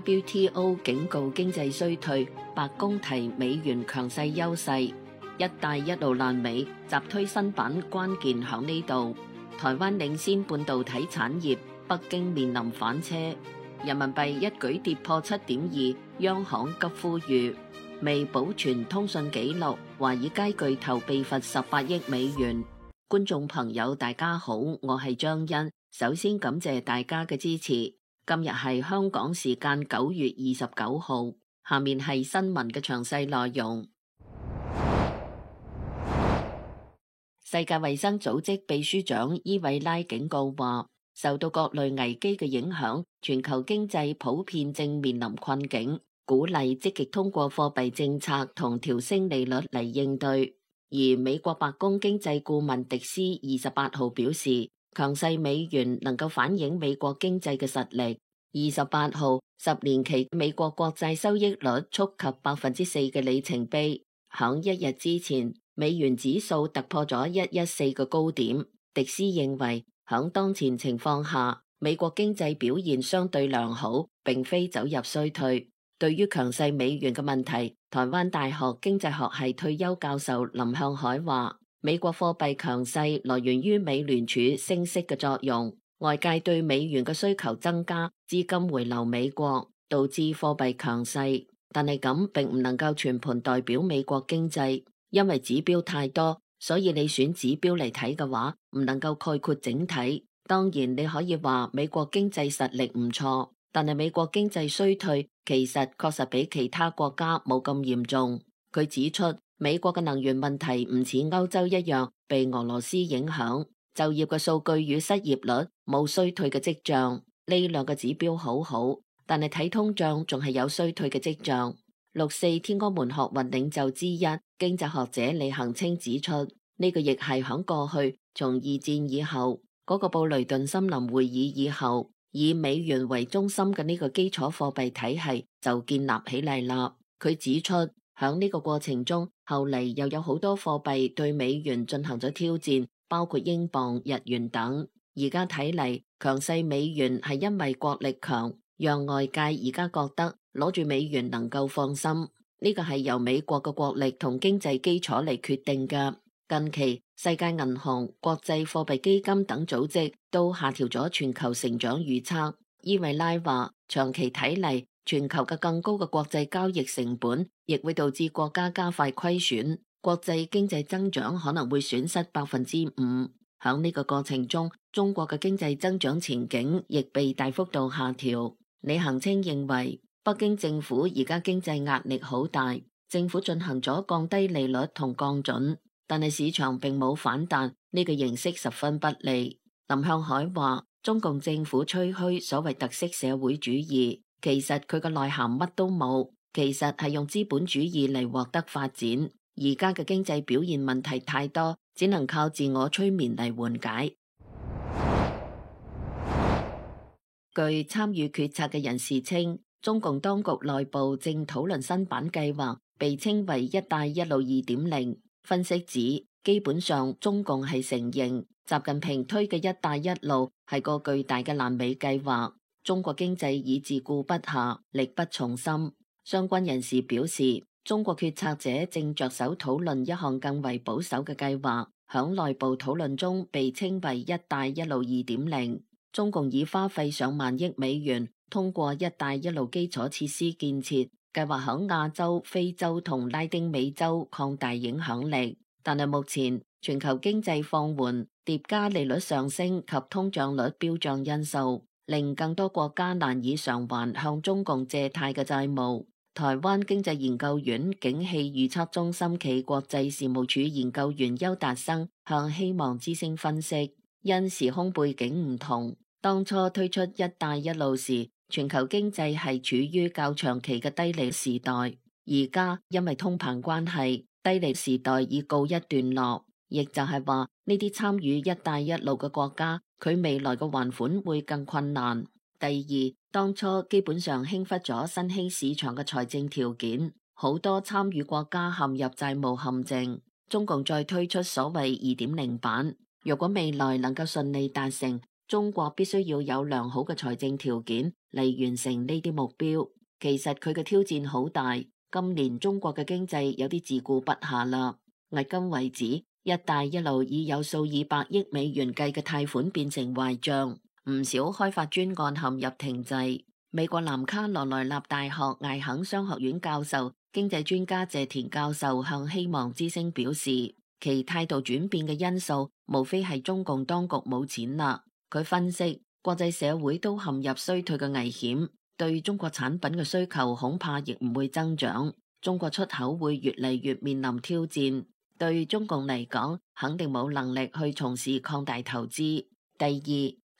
WTO 警告經濟衰退，白宮提美元強勢優勢，一帶一路爛尾，集推新版關鍵響呢度。台灣領先半導體產業，北京面臨反車，人民幣一舉跌破7.2，央行急呼籲，未保存通訊記錄，華爾街巨頭被罰18億美元。觀眾朋友大家好，我係張欣，首先感謝大家嘅支持。今日係香港時間9月29號，下面係新聞嘅詳細內容。世界衛生組織秘書長伊維拉警告話，受到各類危機嘅影響，全球經濟普遍正面臨困境，鼓勵積極通過貨幣政策同調升利率嚟應對。而美國白宮經濟顧問迪斯28號表示，強勢美元能夠反映美國經濟嘅實力。28號10年期美國國債收益率觸及4%嘅里程碑。響一日之前，美元指數突破咗114嘅高點。迪斯認為，響當前情況下，美國經濟表現相對良好，並非走入衰退。對於強勢美元嘅問題，台灣大學經濟學系退休教授林向海話，美國貨幣強勢來源於美聯儲升息嘅作用，外界對美元嘅需求增加，資金回流美國，導致貨幣強勢。但係咁並唔能夠全盤代表美國經濟，因為指標太多，所以你選指標嚟睇嘅話，唔能夠概括整體。當然你可以話美國經濟實力唔錯，但係美國經濟衰退其實確實比其他國家冇咁嚴重。佢指出，美國嘅能源問題唔似歐洲一樣被俄羅斯影響，就業嘅數據與失業率冇衰退嘅跡象，呢兩個指標好好，但係睇通脹仲係有衰退嘅跡象。6·4天安門學運領袖之一經濟學者李恒清指出，呢個亦係響過去從2戰以後嗰個布雷頓森林會議以後，以美元為中心嘅呢個基礎貨幣體系就建立起嚟啦。佢指出，響呢個過程中，後嚟又有好多貨幣對美元進行咗挑戰，包括英鎊、日元等。而家睇嚟，強勢美元係因為國力強，讓外界而家覺得攞住美元能夠放心。呢個係由美國嘅國力同經濟基礎嚟決定嘅。近期世界銀行、國際貨幣基金等組織都下調咗全球成長預測。伊維拉話，長期睇嚟，全球嘅更高嘅國際交易成本亦會導致國家加快虧損，國際經濟增長可能會損失5%。響呢個過程中，中國嘅經濟增長前景亦被大幅度下調。李恒清認為，北京政府而家經濟壓力好大，政府進行咗降低利率同降準，但係市場並冇反彈，呢個形式十分不利。林向海話，中共政府吹噓所謂特色社會主義，其實佢嘅內涵乜都冇，其實係用資本主義嚟獲得發展。而家嘅經濟表現問題太多，只能靠自我催眠嚟緩解。據參與決策嘅人士稱，中共當局內部正討論新版計劃，被稱為一帶一路2.0。分析指，基本上中共係承認習近平推嘅一帶一路係個巨大嘅爛尾計劃，中國經濟已自顧不暇，力不從心。相關人士表示，中國決策者正着手討論一項更為保守嘅計劃，響內部討論中被稱為一帶一路2.0。中共已花費上萬億美元，通過一帶一路基礎設施建設，計劃響亞洲、非洲同拉丁美洲擴大影響力。但係目前全球經濟放緩，疊加利率上升及通脹率飆漲因素，令更多國家難以償還向中共借貸嘅債務。台灣經濟研究院景氣預測中心暨國際事務處研究員邱達生向希望之聲分析，因時空背景唔同，當初推出一帶一路時，全球經濟係處於較長期嘅低利時代，而家因為通膨關係，低利時代已告一段落，亦就係話呢啲參與一帶一路嘅國家，佢未來嘅還款會更困難。第二，當初基本上輕忽咗新興市場嘅財政條件，好多參與國家陷入債務陷阱。中共再推出所謂2.0版，若果未來能夠順利達成，中國必須要有良好嘅財政條件嚟完成呢啲目標。其實佢嘅挑戰好大，今年中國嘅經濟有啲自顧不暇啦。迄今為止，一帶一路已有數以百億美元計嘅貸款變成壞賬，唔少開發專案陷入停滯。美國南卡羅來納大學艾肯商學院教授、經濟專家謝田教授向希望之聲表示，其態度轉變嘅因素，無非係中共當局冇錢啦。佢分析，國際社會都陷入衰退嘅危險。對中國產品嘅需求恐怕亦唔會增長，中國出口會越嚟越面臨挑戰。對中共嚟講，肯定冇能力去從事擴大投資。第二，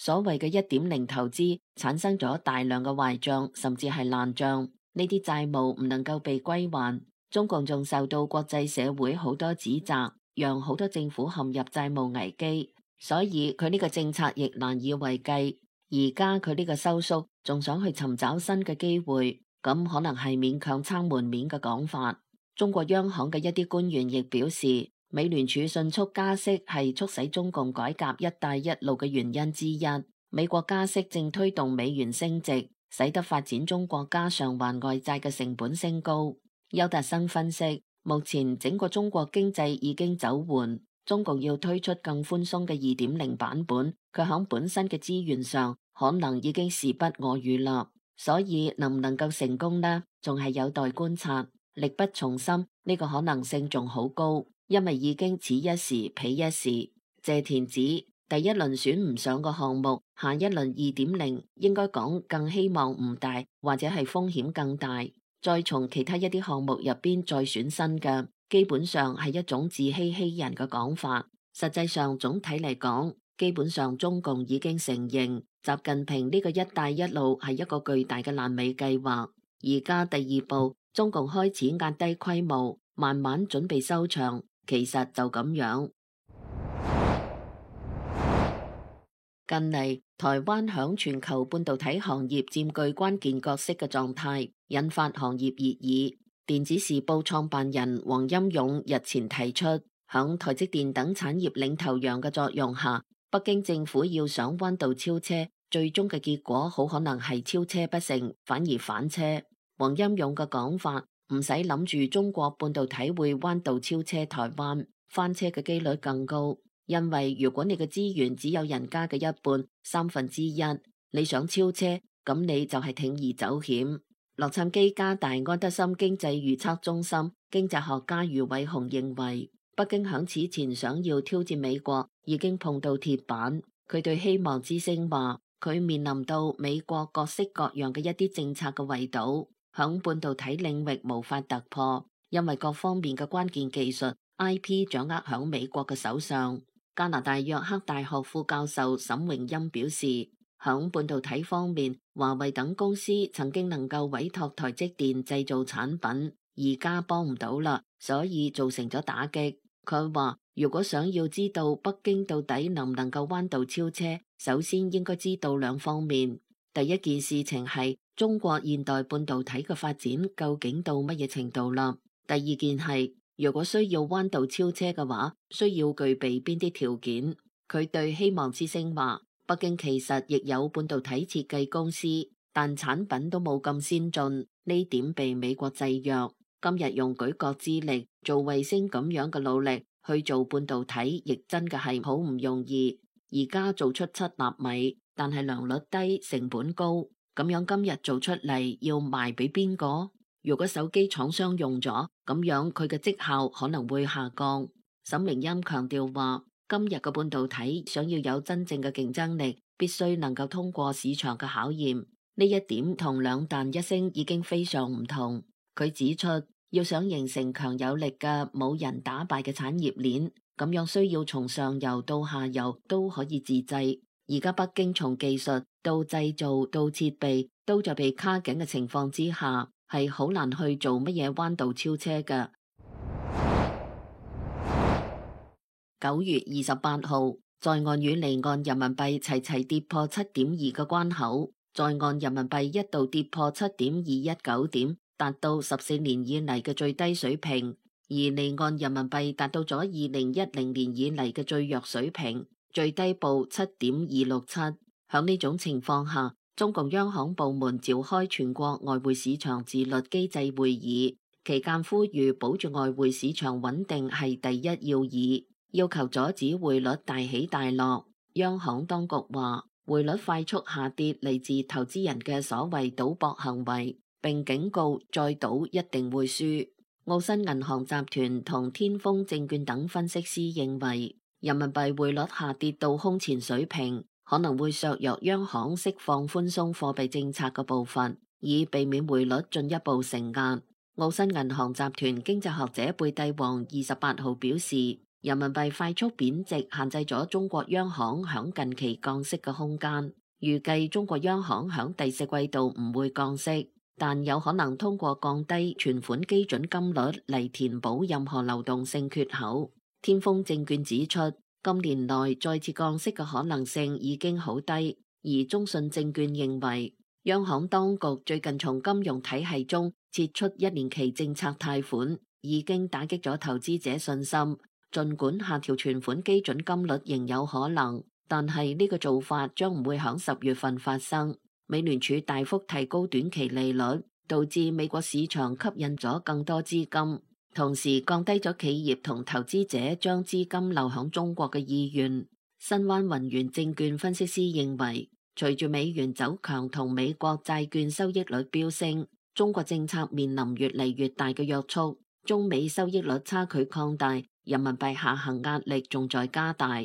所謂嘅1.0投資產生咗大量嘅壞賬，甚至係爛賬，呢啲債務唔能夠被歸還。中共仲受到國際社會好多指責，讓好多政府陷入債務危機，所以佢呢個政策亦難以為繼。而家佢呢個收縮，仲想去尋找新嘅機會，咁可能係勉強撐門面嘅講法。中國央行嘅一啲官員亦表示，美聯儲迅速加息係促使中共改革一帶一路嘅原因之一。美國加息正推動美元升值，使得發展中國家償還外債嘅成本升高。邱達生分析，目前整個中國經濟已經走緩，中共要推出更寬鬆嘅2.0版本，佢響本身嘅資源上可能已經時不我與啦，所以能唔能夠成功呢？仲係有待觀察。力不從心呢個可能性仲好高，因為已經此一時彼一時。謝田指第一輪選唔上個項目，下一輪2.0應該講更希望唔大，或者係風險更大。再從其他一啲項目入邊再選新嘅，基本上係一種自欺欺人嘅講法。實際上總體嚟講，基本上中共已經承認習近平呢個一帶一路係一個巨大嘅爛尾計劃。而家第二步，中共開始壓低規模，慢慢準備收場。其實就咁樣。近嚟，台灣響全球半導體行業佔據關鍵角色嘅狀態，引發行業熱議。電子時報創辦人黃欽勇日前提出，響台積電等產業領頭羊嘅作用下，北京政府要想彎道超車，最終嘅結果好可能係超車不成，反而翻車。黃欽勇嘅講法，唔使諗住中國半導體會彎道超車台灣，翻車嘅幾率更高。因為如果你嘅資源只有人家嘅一半、1/3，你想超車，咁你就係鋌而走險。洛杉磯加大安德森經濟預測中心經濟學家余偉雄認為，北京響此前想要挑戰美國，已經碰到鐵板。佢對希望之聲話，佢面臨到美國各式各樣嘅一啲政策嘅圍堵，響半導體領域無法突破，因為各方面嘅關鍵技術 IP 掌握響美國嘅手上。加拿大約克大學副教授沈榮欽表示，響半導體方面，華為等公司曾經能夠委託台積電製造產品，而家幫唔到啦，所以造成咗打擊。佢話，如果想要知道北京到底能唔能夠彎道超車，首先應該知道兩方面。第一件事情係中國現代半導體嘅發展究竟到乜嘢程度啦？第二件係，如果需要彎道超車嘅話，需要具備邊啲條件？佢對希望之聲話，北京其實亦有半導體設計公司，但產品都冇咁先進，呢點被美國制約。今日用舉國之力做衛星咁樣嘅努力去做半導體，亦真嘅係好唔容易。而家做出7納米，但係良率低，成本高，咁樣今日做出嚟要賣俾邊個？如果手機廠商用咗，咁樣佢嘅績效可能會下降。沈明欽強調話，今日嘅半導體想要有真正嘅競爭力，必須能夠通過市場嘅考驗。呢一點同兩彈一星已經非常唔同。佢指出，要想形成強有力嘅冇人打敗嘅產業鏈，咁樣需要從上游到下游都可以自製。而家北京從技術到製造到設備都在被卡緊嘅情況之下，係好難去做乜嘢彎道超車嘅。9月28號，在岸與離岸人民幣齊齊跌破7.2個關口，在岸人民幣一度跌破7.219點，達到14年以嚟嘅最低水平，而離岸人民幣達到咗2010年以嚟嘅最弱水平。最低報7.267。響呢種情況下，中共央行部門召開全國外匯市場自律機制會議，期間呼籲保住外匯市場穩定係第一要義，要求阻止匯率大起大落。央行當局話，匯率快速下跌嚟自投資人嘅所謂賭博行為，並警告再賭一定會輸。澳新銀行集團同天風證券等分析師認為，人民幣匯率下跌到空前水平，可能會削弱央行釋放寬鬆貨幣政策嘅步伐，以避免匯率進一步承壓。澳新銀行集團經濟學者貝蒂王28號表示，人民幣快速貶值限制咗中國央行響近期降息嘅空間，預計中國央行響第四季度唔會降息，但有可能通過降低存款基準金率嚟填補任何流動性缺口。天風證券指出，今年內再次降息嘅可能性已經好低，而中信證券認為，央行當局最近從金融體系中撤出1年期政策貸款，已經打擊咗投資者信心。儘管下調存款基準金率仍有可能，但係呢個做法將唔會響10月份發生。美聯儲大幅提高短期利率，導致美國市場吸引咗更多資金，同時降低咗企業同投資者將資金流向中國嘅意願。新灣雲源證券分析師認為，隨住美元走強同美國債券收益率飆升，中國政策面臨越嚟越大嘅約束，中美收益率差距擴大，人民幣下行壓力仲在加大。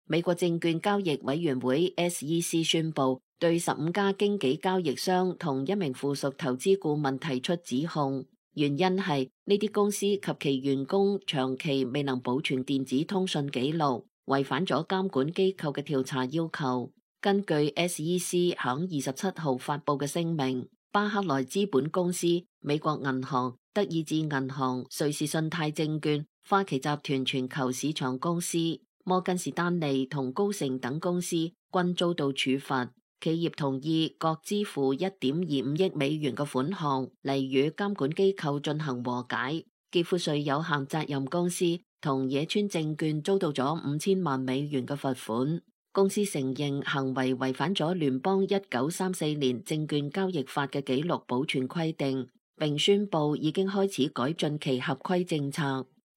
美國證券交易委員會 SEC 宣布，對15家經紀交易商同一名附屬投資顧問提出指控，原因係呢啲公司及其員工長期未能保存電子通訊記錄，違反咗監管機構嘅調查要求。根據 SEC 響27號發佈嘅聲明，巴克萊資本公司、美國銀行、德意志銀行、瑞士信貸證券、花旗集團全球市場公司、摩根士丹利同高盛等公司均遭到處罰，企業同意各支付1.25億美元嘅款項嚟與監管機構進行和解。傑富瑞有限責任公司同野村證券遭到咗5000萬美元嘅罰款。公司承認行為違反咗聯邦1934年證券交易法嘅記錄保存規定，並宣布已經開始改進其合規政策。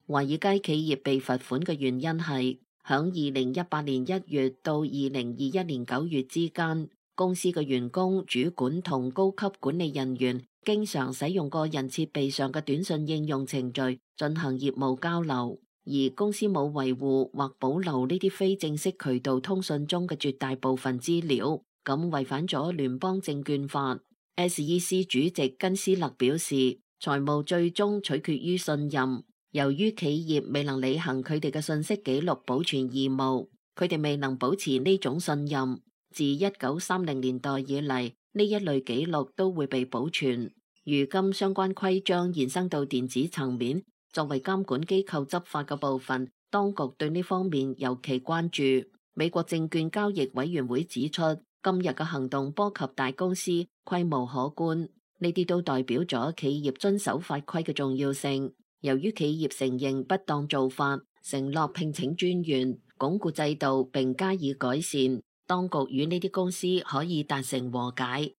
華爾街企業被罰款嘅原因係，響2018年1月到2021年9月之間，公司嘅員工、主管同高級管理人員經常使用個人設備上嘅短信應用程序進行業務交流，而公司冇維護或保留呢啲非正式渠道通訊中嘅絕大部分資料，咁違反咗聯邦證券法。SEC 主席根斯勒表示，財務最終取決於信任。由於企業未能履行佢哋嘅信息記錄保存義務，佢哋未能保持呢種信任。自1930年代以嚟，呢一類記錄都會被保存。如今相關規章延伸到電子層面，作為監管機構執法嘅部分，當局對呢方面尤其關注。美國證券交易委員會指出，今日嘅行動波及大公司，規模可觀，呢啲都代表咗企業遵守法規嘅重要性。由於企業承認不當做法，承諾聘請專員，鞏固制度並加以改善，當局與呢啲公司可以達成和解。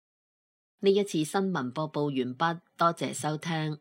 呢一次新聞播報完畢，多謝收聽。